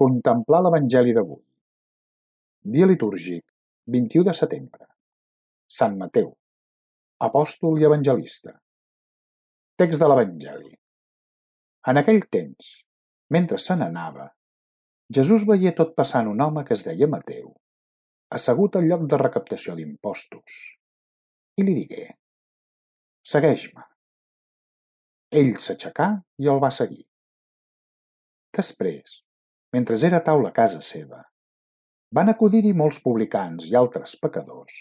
Contemplar l'Evangeli d'avui. Dia litúrgic, 21 de setembre. Sant Mateu, apòstol i evangelista. Text de l'Evangeli. En aquell temps, mentre se n'anava, Jesús veié tot passant un home que es deia Mateu, assegut al lloc de recaptació d'impostos, i li digué: «Segueix-me». Ell s'aixecà i el va seguir. Després, mentre era a taula a casa seva, van acudir-hi molts publicans i altres pecadors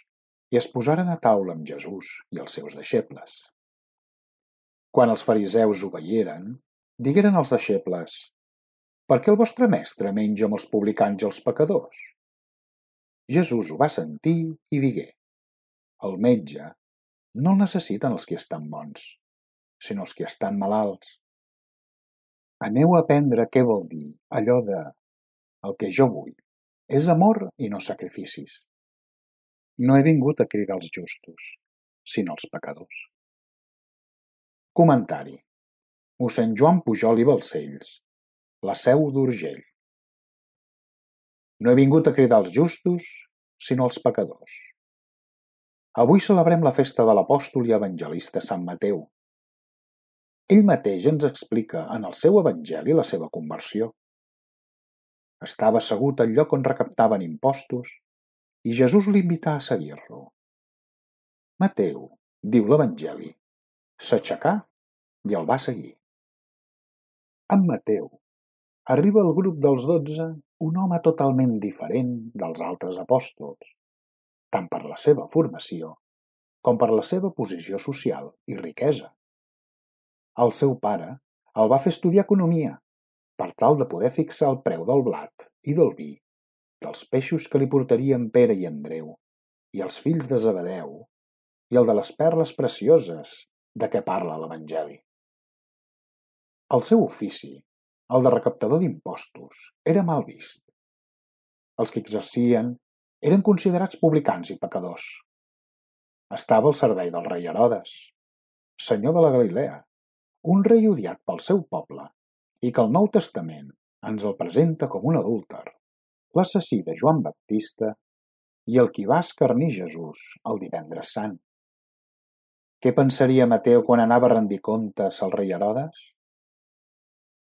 i es posaren a taula amb Jesús i els seus deixebles. Quan els fariseus ho veieren, digueren als deixebles: «Per què el vostre mestre menja amb els publicans i els pecadors?» Jesús ho va sentir i digué: «El metge no el necessiten els qui estan bons, sinó els qui estan malalts. Aneu a aprendre què vol dir allò de «el que jo vull és amor i no sacrificis». No he vingut a cridar els justos, sinó els pecadors». Comentari. Mossèn Joan Pujol i Balcells, La Seu d'Urgell. No he vingut a cridar els justos, sinó els pecadors. Avui celebrem la festa de l'apòstol i evangelista Sant Mateu. Ell mateix ens explica en el seu evangeli la seva conversió. Estava assegut al lloc on recaptaven impostos i Jesús l'invità a seguir-lo. Mateu, diu l'Evangeli, s'aixecà i el va seguir. Amb Mateu arriba al grup dels 12 un home totalment diferent dels altres apòstols, tant per la seva formació com per la seva posició social i riquesa. El seu pare el va fer estudiar economia per tal de poder fixar el preu del blat i del vi, dels peixos que li portarien Pere i Andreu, i els fills de Zebedeu, i el de les perles precioses de què parla l'Evangeli. El seu ofici, el de recaptador d'impostos, era mal vist. Els que exercien eren considerats publicans i pecadors. Estava al servei del rei Herodes, senyor de la Galilea, un rei odiat pel seu poble i que el Nou Testament ens el presenta com un adúlter, l'assassí de Joan Baptista i el qui va escarnir Jesús el divendres sant. Què pensaria Mateu quan anava a rendir comptes al rei Herodes?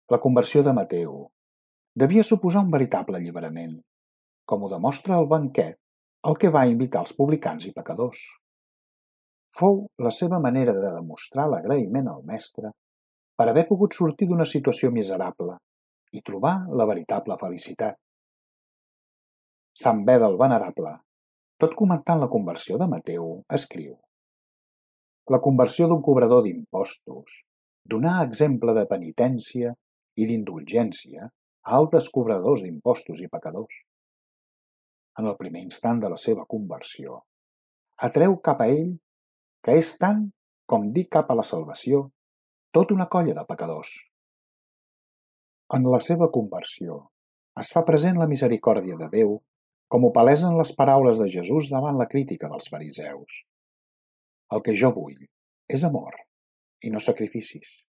La conversió de Mateu devia suposar un veritable alliberament, com ho demostra el banquet al que va invitar els publicans i pecadors. Fou la seva manera de demostrar l'agraïment al mestre per haver pogut sortir d'una situació miserable i trobar la veritable felicitat. Sant Beda el Venerable, tot comentant la conversió de Mateu, escriu: «La conversió d'un cobrador d'impostos donà exemple de penitència i d'indulgència a altres cobradors d'impostos i pecadors. En el primer instant de la seva conversió, atreu cap a ell que és tant com dir cap a la salvació tota una colla de pecadors. En la seva conversió es fa present la misericòrdia de Déu, com ho palesen les paraules de Jesús davant la crítica dels fariseus. El que jo vull és amor i no sacrificis.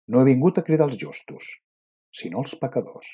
No he vingut a cridar els justos, sinó els pecadors».